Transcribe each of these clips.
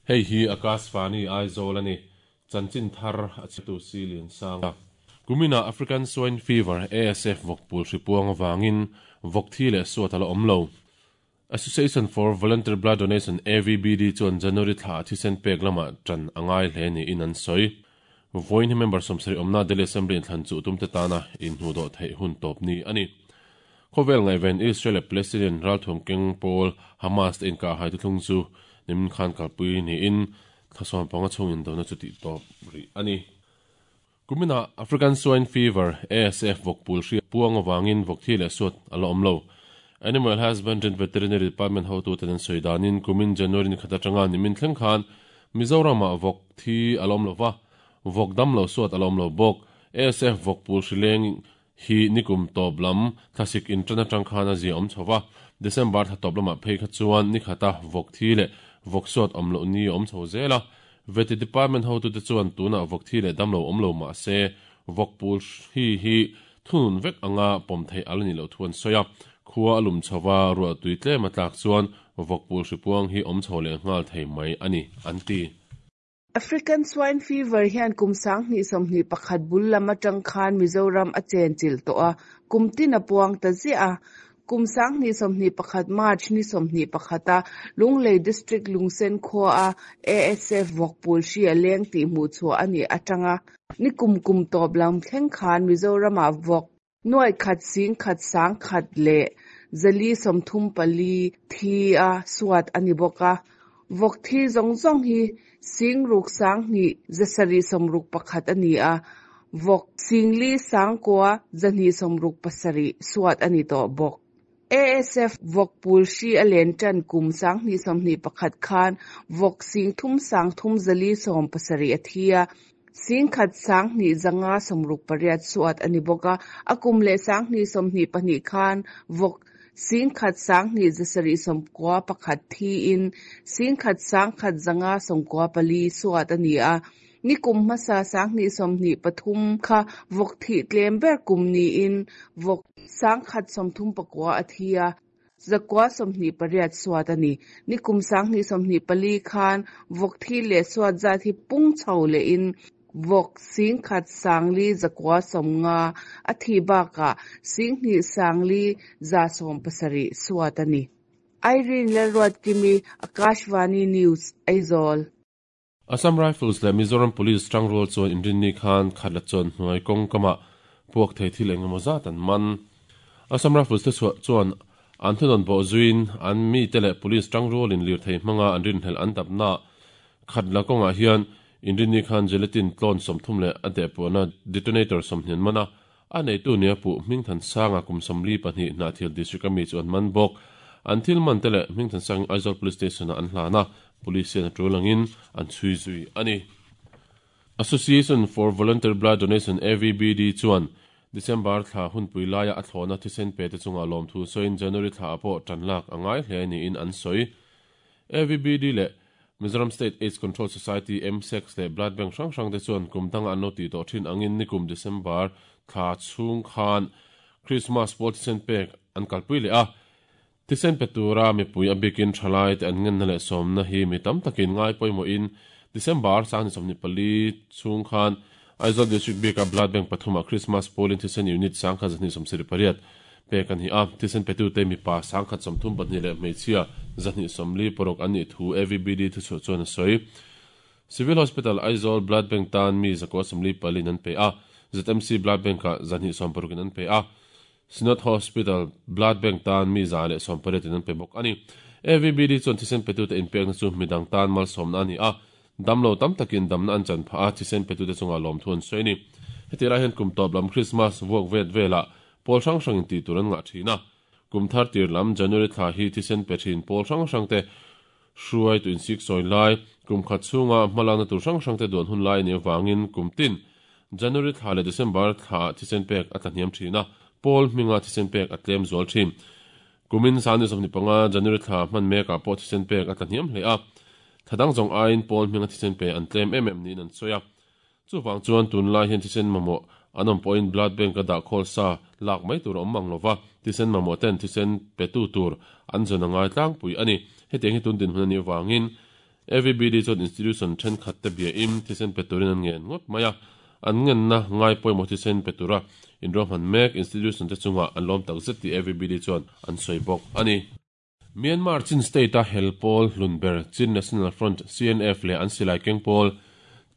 Hei hi Akashvani Aizawl a ni. Chanchin thar a chhiatu Si Liansanga. Kumina African Swine Fever, ASF, vawkpul hri puang avangin vawk thi leh suat a la awm lo. Association for Voluntary Blood Donation, AVBD, chuan January thla ah thisen pek lamah tan a ngai hle niin an sawi. Vawiin hi member 70 awmna Delhi Assembly inthlan chuh tumte tana inhnuhdawh theih hun tawp ni a ni. Khawvel ngaihven Israel leh Palestinian ralthuam keng pawl Hamas te inkahhai thuthlung chu nimin khan kalpui niin thla 15 chhung indona chu tih tawp rih a ni. Kuminah African Swine Fever, ASF, vawkpul hri puang avangin vawk thi leh suat a la awm lo. Animal Husbandry and Veterinary Department hotuten an sawi danin kumin January ni khat atanga nimin thleng khan Mizoramah vawk thi a la awm lo va, vawk dam lo suat a la awm lo bawk. ASF vawkpul hri leng hi nikum tawp lam thlasik inṭan aṭang khan a zia awm chho va, December thla tawp lamah phei kha chuan ni khata vawk thi leh vawk suat awm loh ni a awm chho zel a. Veti Department hotute chuan tunah vawk thi leh damlo awm lo mah se vawk pul hri hi thunun vek anga pawm theih a la nih loh thu an sawi a. Khua a lum chho va, ruah tui tlem a tlak chuan vawk pul hri puang hi awm chho leh nghal thei mai a ni, an ti. African Swine Fever hian kum 2021 bul lam atang khan Mizoram a chenchilh tawh a, kum tin a puang ta ziah a. Kum 2021 March ni 21 a Lunglei District Lungsen khua a ASF vawkpul hri a leng tih hmuh chhuah a nih atanga ni kum kum tawp lam thleng khan Mizoramah vawk nuai khat sing khat sang khat leh 434 thi a suat a ni bawk a. Vawk thi zawng zawng hi 6 sang 2 761 a ni a, vawk 4 sang 2 267 suat a ni tawh bawk. ASF vawk pul hri a len tan kum 2021 khan vawk 3 sang 3 470 a thi a, 1 sang 2 5 68 suat a ni bawk a. A kum leh 2022 khan vawk 1 sang 2 7 91 thi in 1 sang 1 5 94 suat a ni a. Ni kum hmasa 2023 kha vawk thi tlem ber kum niin vawk sang khat 39 a thi a, 128 suat a ni. Ni kum 2024 khan vawk thi leh suat zat hi pung chho leh in vawk 1 sang 4 950 a thi bakah 2 sang 4 170 suat a ni. Irene Lalruatkimi, Akashvani News, Aizawl. Assam Rifles leh Mizoram Police tangrual chuan inrinni khan Khatla chuan hnuai kawng kamah puak thei thil eng emaw zat an man. Assam Rifles te chuan an thunawn bawh zuiin an mite leh Police tangrualin lirthei hmanga an rinhlelh an dapna Khatla kawngah hian inrinni khan gelatin tlawn 30 leh a dehpuahna detonator 20 an man a, a neitu nia puh Hmingthansanga kum 42 Hnahthial District ami chu an man bawk. An thil man te leh Hmingthansang Aizawl Police Station-ah an hlan a, Police hian a tul angin an chhui zui a ni. Association for Voluntary Blood Donation, AVBD, chuan December thla hunpui laia a thlawhna thisen pe te chungah lawmthu sawiin January thla ah pawh tan lak a ngai hle niin an sawi. AVBD leh Mizoram State AIDS Control Society, MSACS, leh Blood Bank hrang hrang te chuan kum danga an lo tih tawh thin angin nikum December thla chhung khan Christmas pawl thisen pek an kalpui leh a. Thisen pe tura mipui a bikin thalai te an ngenna leh sawmna hi mi tam takin ngai pawimawhin December 2024 chhung khan Aizawl District bika Blood Bank pathumah Christmas pawlin thisen unit 1178 pek a ni a. Thisen petute mipa 132 leh hmeichhia 246 an nih thu AVBD thuchhuah chuan a sawi. Civil Hospital Aizawl Blood Bank tan mi 144 in an pe a, ZMC Blood Bank-ah 260 in an pe a. Synod Hospital Blood Bank tan mi 180 in an pe bawk a ni. AVBD chuan thisen petute inpekna chu midang tan malsawmna a ni a, damlo tam takin damna an chan phah a, thisen petute chungah lawmthu an sawi a ni. Heti lai hian kum tawp lam Christmas vuak vet velah pawl hrang hrangin tih tur an ngah thin a. Kum thar tir lam January thla hi thisen pe thin pawl hrang hrangte hruai tu insik sawi lai, kum khat chhunga hmalakna tur hrang hrangte duan hun lai a nih avangin kum tin January thla leh December thla thisen pek a tlahniam thin a, pawl hminga thisen pek a tlem zual thin. Kumin 2025 January thla hman mekah pawh thisen pek a tlahniam hle a, thla dang zawng aiin pawl hminga thisen pe an tlem em em niin an sawi a. Chuvang chuan tunlai hian thisen mamawh an awm pawhin blood bank a dah khawl sa lak mai tur a awm mang lova, thisen mamawh ten thisen petu tur an zawn a ngai tlangpui a ni. Hetiang hi tun dinhmun a nih avangin. AVBD chuan institution thenkhat te biain thisen pe turin an ngen ngawt mai a, an ngenna ngai pawimawh thisen pe tura inruahman mek institution te chungah an lawm takzet tih AVBD chuan an sawi bawk a ni. Myanmar Chin State-a hel pawl hlun ber Chin National Front, CNF, leh an silai keng pawl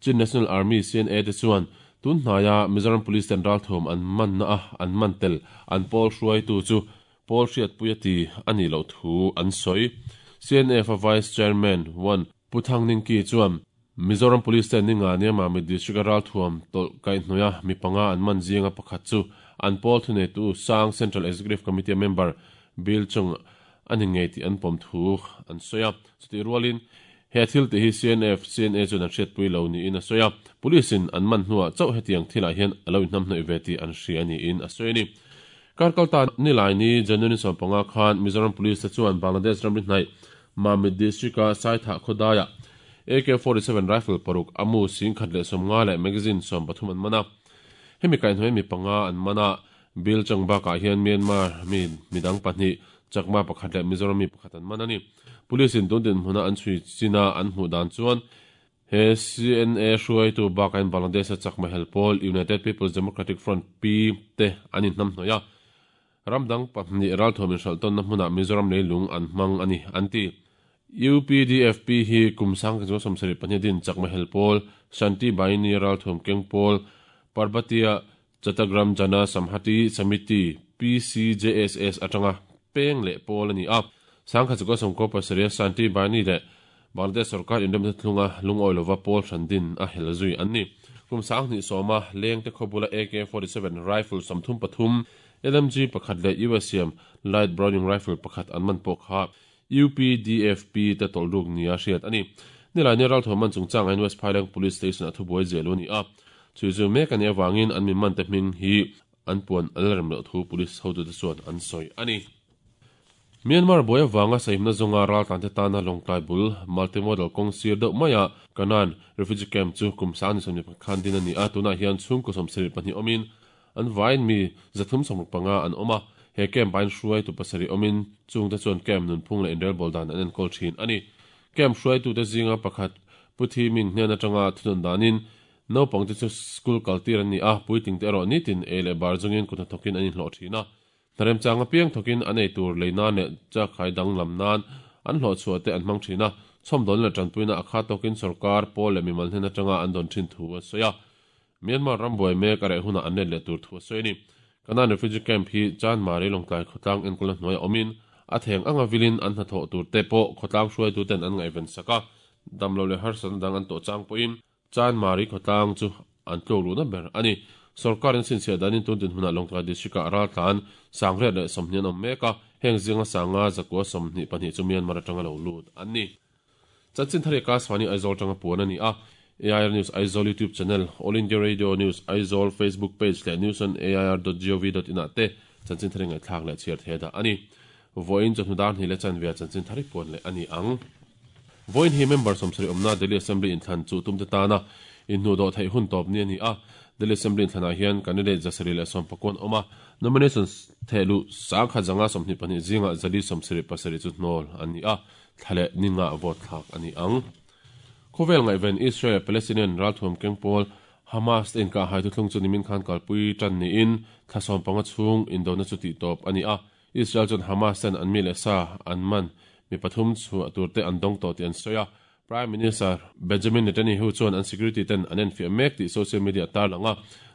Chin National Army, CNA, te chuan tun hnaia Mizoram Police ten ralthuam an manna a an man tel an pawl hruaitu chu pawl hriatpui a ti a nih loh thu an sawi. CNF-a Vice Chairman One Pu Thang Ningki chuan Mizoram Police ten ninga nia Mamit District-a ralthuam tawlh kaihhnawih a mi panga an man zinga pakhat chu an pawl thuneitu sang Central Executive Committee-a member Bill Chung a ni ngei tih an pawm thu an sawi a. Chutih rualin he thil tih hi CNF, CNA chuan an hriatpui lo niin a sawi a. Police-in an man hnuah chauh hetiang thilah hian a lo inhnamhnawih ve tih an hria niin a sawi a ni. Kar kalta Nilaini January 15 khan Mizoram Police te chuan Bangladesh ramri hnaih Mamit District-a Saithah khawdaiah AK-47 rifle paruk, a mu 10,150 leh magazine 13 an man a. Hemi kaihhnawih mi panga an man a, Bill Chang bakah hian Myanmar mi midang pahnih, Chakma pakhat leh Mizoram mi pakhat an man a ni. Police-in tun dinhmuna an chhui china an hmuh dan chuan he CNA hruaitu bakain Bangladesh-a Chakma hel pawl United People's Democratic Front, P, te an inhnamhnawih a. Ram dang pahnih ralthuam inhralh tawnna hmunah Mizoram leilung an hmang a ni, an ti. UPDFP hi kum 1972 din Chakma hel pawl, Shanti Bahini ralthuam keng pawl, Parbatia Chattagram Jana Samhati Samiti, PCJSS, atanga peng leh pawl a ni a. 1997 Shanti Bahini leh Bangladesh sorkar inremna thlunga lungawi lova pawl hran din a hel zui an ni. Kum 2010 lengte khawbula AK-47 rifle 33, LMG pakhat leh US siam Light Browning rifle pakhat an man pawh kha UPDFP te tawlhruk nia hriat a ni. Nilaini ralthuam man chungchang ain West Phaileng Police Station a thubuai zel u ni a. Chhui zui mek a nih avangin an mi mante hming hi an puan a la rem loh thu Police hotute chuan an sawi a ni. Myanmar buai avanga sahimna zawnga raltlante tana Lawngtlai bul multimodal kawng sir deuh maia Kanan refugee camp chu kum 2021 khan din a ni a, tunah hian chhungkaw 72 awmin an vaiin mi 365 an awm a, he camp ah hian hruaitu pasarih awmin chungte chuan camp nunphung leh inrelbawl dan an enkawl thin a ni. Camp hruaitute zinga pakhat Pu Thi Ming hnen atanga thunawn danin naupangte chu school kaltir an ni a, puitlingte erawh nitin ei leh bar zungin kut hnathawkin an inhlawh thin a. Hnaremchang apiang thawkin an ei tur lei nan leh chakhai danglam nan an hlawhchhuah te an hmang thin a, chhawmdawn leh tanpuina a kha tawkin sorkar, pawl leh mimal hnen atanga an dawn thin thu a sawi a. Myanmar ram buai mek a reh hunah an let leh tur thu a sawi a ni. Kanan refugee camp hi Chanmari Lawngtlai khawtlang enkawlna hnuaiah awmin a theng anga vilin an hnathawh tur te pawh khawtlang hruaituten an ngaihven sak a, damlo leh harsatna dang an tawh chang pawhin Chanmari khawtlang chu an tluk luhna ber a ni. Sorkarin chhinchhiah danin tun dinhmunah Lawngtlai District-ah raltlan 620 an awm mek a, heng zinga sanga zakua 22 chu Myanmar atanga lo lut an ni. Chanchin thar hi Akashvani Aizawl atanga puan a ni a, AIR News Aizawl YouTube channel, All India Radio News Aizawl Facebook page leh newsonair.gov.in ah te chanchin thar hi ngaihthlak leh chhiar thei a dah a ni. Vawiin chawhnu dar hnih leh chanve ah chanchin thar hi puan leh a ni ang. Vawiin hi member sawmsarih awmna Delhi Assembly inthlan chu tumte tana inhnuhdawh theih hun tawp ni a ni a. Delhi Assembly inthlanah hian candidate 719 an awm a, nomination thehluh 1122 zingah 477 chu hnawl an ni a, thla leh ninga vote thlak a ni ang. Khawvel ngaihven Israel leh Palestinian ralthuam keng pawl Hamas te inkahhai thuthlung chu nimin khan kalpui tan niin thla 15 chhung indona chu tihtawp a ni a. Israel chuan Hamas ten an mi leh sa an man mi pathum chhuah tur te an dawng tawh tih an sawi a. Prime Minister Benjamin Netanyahu chuan an security ten an enfiah mek tih social media a tarlang a,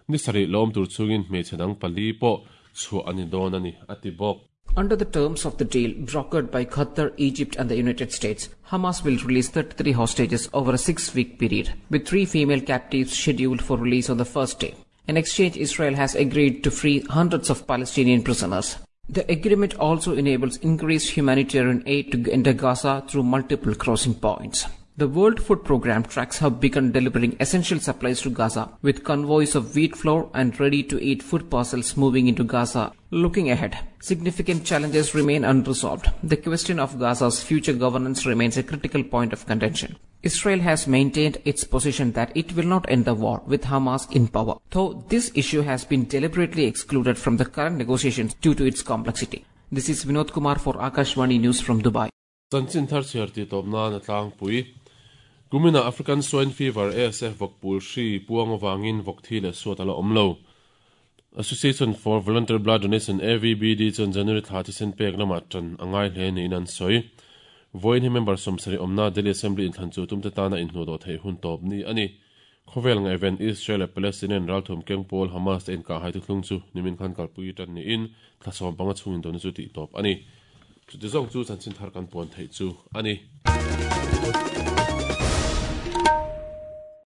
ni sarih la awm tur chungin hmeichhe dang pali pawh chhuah a ni dawn a ni, a ti bawk. Under the terms of the deal brokered by Qatar, Egypt and the United States, Hamas will release 33 hostages over a 6-week period, with 3 female captives scheduled for release on the first day. In exchange, Israel has agreed to free hundreds of Palestinian prisoners. The agreement also enables increased humanitarian aid to enter Gaza through multiple crossing points. The World Food Programme trucks have begun delivering essential supplies to Gaza, with convoys of wheat flour and ready-to-eat food parcels moving into Gaza. Looking ahead, significant challenges remain unresolved. The question of Gaza's future governance remains a critical point of contention. Israel has maintained its position that it will not end the war with Hamas in power, though this issue has been deliberately excluded from the current negotiations due to its complexity. This is Vinod Kumar for Akashvani News from Dubai. Chanchin thar chhiar tih tawp nan a tlangpui. Kuminah African Swine Fever, ASF, vawkpul hri puang avangin vawk thi leh suat a la awm lo. Association for Voluntary Blood Donation, AVBD, chuan January thla thisen pek lamah tan a ngai hle niin an sawi. Vawiin hi member 70 awmna Delhi Assembly inthlan chu tumte tana inhnuhdawh theih hun tawp ni a ni. Khawvel ngaihven Israel leh Palestinian ralthum keng pawl Hamas te inkah hai thuthlung chu nimin khan kalpui tan niin thla 15 chhung indona chu tih tawp a ni. Chuti zawng chu chanchin thar kan puan theih chu a ni.